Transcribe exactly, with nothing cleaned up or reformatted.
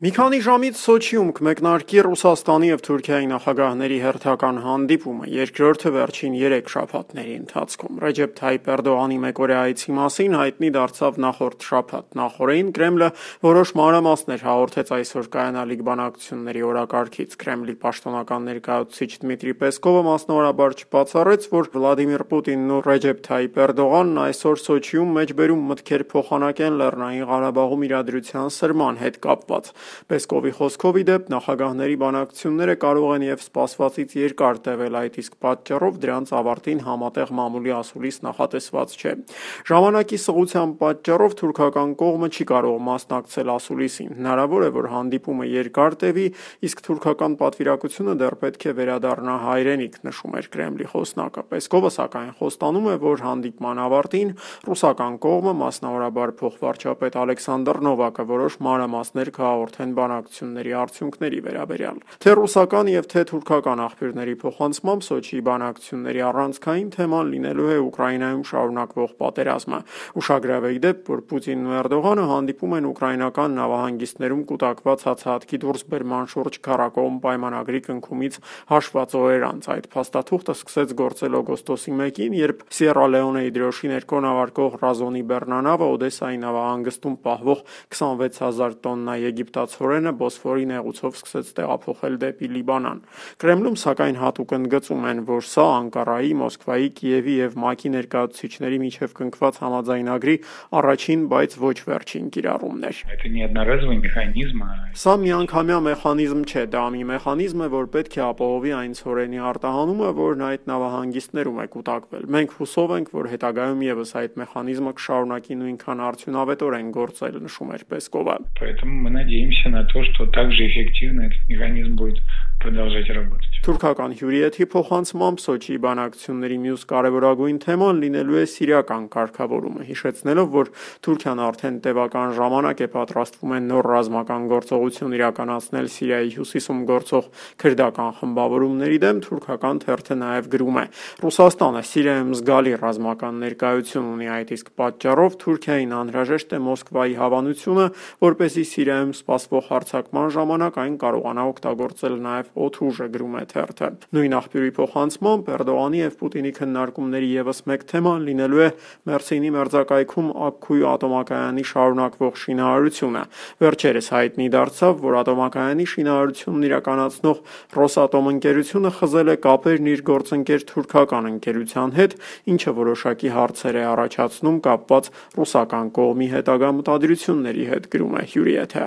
Մի քանի ժամից Սոչիում կմեկնարկի Ռուսաստանի և Թուրքիայի նախագահների հերթական հանդիպումը, երկրորդը վերջին երեք շաբաթների ընթացքում։ Ռեջեփ Թայիփ Էրդողանի մեկօրյա այցի մասին հայտնի դարձավ նախորդ շաբաթ։ Նախօրեին Կրեմլը որոշ մանրամասներ հաղորդեց այսօր կայանալիք բանակցությունների օրակարգից։ Կրեմլի պաշտոնական ներկայացուցիչ Դմիտրի Պեսկովը մասնավորաբար չբացառեց, որ Վլադիմիր Պուտինն ու Ռեջեփ Թայիփ Էրդողանն այսօր Սոչիում մեջբերում մտքեր փոխանակեն Լեռնային Ղարաբաղում իրադրության սրման հետ կապված։ Պեսկովի խոսքով, ի դեպ, նախագահների բանակցությունները կարող են և սպասվածից երկար տևել, այդ իսկ պատճառով դրանց ավարտին համատեղ մամուլի ասուլիս նախատեսված չէ։ Ժամանակի սղության պատճառով թուրքական կողմը չի կարող մասնակցել ասուլիսին։ Հնարավոր է, որ հանդիպումը երկար տևի, իսկ թուրքական պատվիրակությունը դեռ պետք է վերադառնա հայրենիք, նշում էր Կրեմլի խոսնակը։ Պեսկովը սակայն խոստանում է, որ հանդիպման ավարտին ռուսական կողմը, մասնավորաբար փոխվարչապետ Ալեքսանդր Նովակը, որոշ մանրամասներ կհաղորդեն բանակցությունների արդյունքների վերաբերյալ։ Թե ռուսական և թե թուրքական աղբյուրների փոխանցմամբ Սոչիի բանակցությունների առանցքային թեման լինելու է Ուկրաինայում շարունակվող պատերազմը։ Ուշագրավ է, ի դեպ, որ Պուտինն ու Էրդողանը հանդիպում են ուկրաինական նավահանգիստներում կուտակված հացահատքի դուրսբերման շուրջ քառակողմ պայմանագրի կնքումից հաշված օրեր անց։ Այդ փաստաթուղթը սկսեց գործել օգոստոսի մեկին, երբ Սիերա Լեոնեի դրոշի ներքո նավարկող Ռազոնի բեռնանավը Օդեսայի նավահանգստում պահվող քսանվեց հազար տոննա եգիպտացորենը Բոսֆորի նեղուցով սկսեց տեղափոխել դեպի Լիբանան։ Կրեմլում սակայն հատուկ ընդգծում են, որ սա Անկարայի, Մոսկվայի, Կիևի և ՄԱԿ-ի ներկայացուցիչների միջև կնքված համաձայնագրի առաջին, բայց ոչ վերջին կիրառումն էր։ Սա միանգամյա մեխանիզմ չէ, դա մի մեխանիզմ է, որ պետք է ապահովի այն ցորենի արտահանումը, որն այդ նավահանգիստներում է կուտակվել։ Մենք հուսով ենք, որ հետագայում ևս այդ մեխանիզմը կշարունակի նույնքան արդյունավետորեն գործել, նշում էր Պեսկովը։ Поэтому мы надеемся на то, что также эффективно этот механизм будет продолжать работать. Թուրքական հյուրիեթի փոխանցմամբ Սոչիի բանակցությունների մյուս կարևորագույն թեման լինելու է սիրիական կարգավորումը, հիշեցնելով, որ Թուրքիան արդեն տևական ժամանակ է պատրաստվում է նոր ռազմական գործողություն իրականացնել Սիրիայի հյուսիսում գործող քրդական խմբավորումների դեմ, թուրքական թերթը նաև գրում է. Ռուսաստանը Սիրիայում զգալի ռազմական ներկայություն ունի, այդ իսկ պատճառով Թուրքիային անհրաժեշտ է Մոսկվայի հավանությունը, որպեսզի Սիրիայում սպասվող հարձակման ժամանակ այն կարողանա օգտագործել նաև օդուժը, գրում է թերթը։ Նույն աղբյուրի փոխանցմամբ Էրդողանի և Պուտինի քննարկումների ևս մեկ թեման լինելու է Մերսինի մերձակայքում Աքքուի ատոմակայանի շարունակվող շինարարությունը։ Վերջերս հայտնի դարձավ, որ ատոմակայանի շինարարությունն իրականացնող Ռոսատոմ ընկերությունը խզել է կապերն իր գործընկեր թուրքական ընկերության հետ, ինչը որոշակի հարցեր է առաջացնում կապված ռուսական կողմի հետագա մտադրությունների հետ, գրում է հյուրիեթը։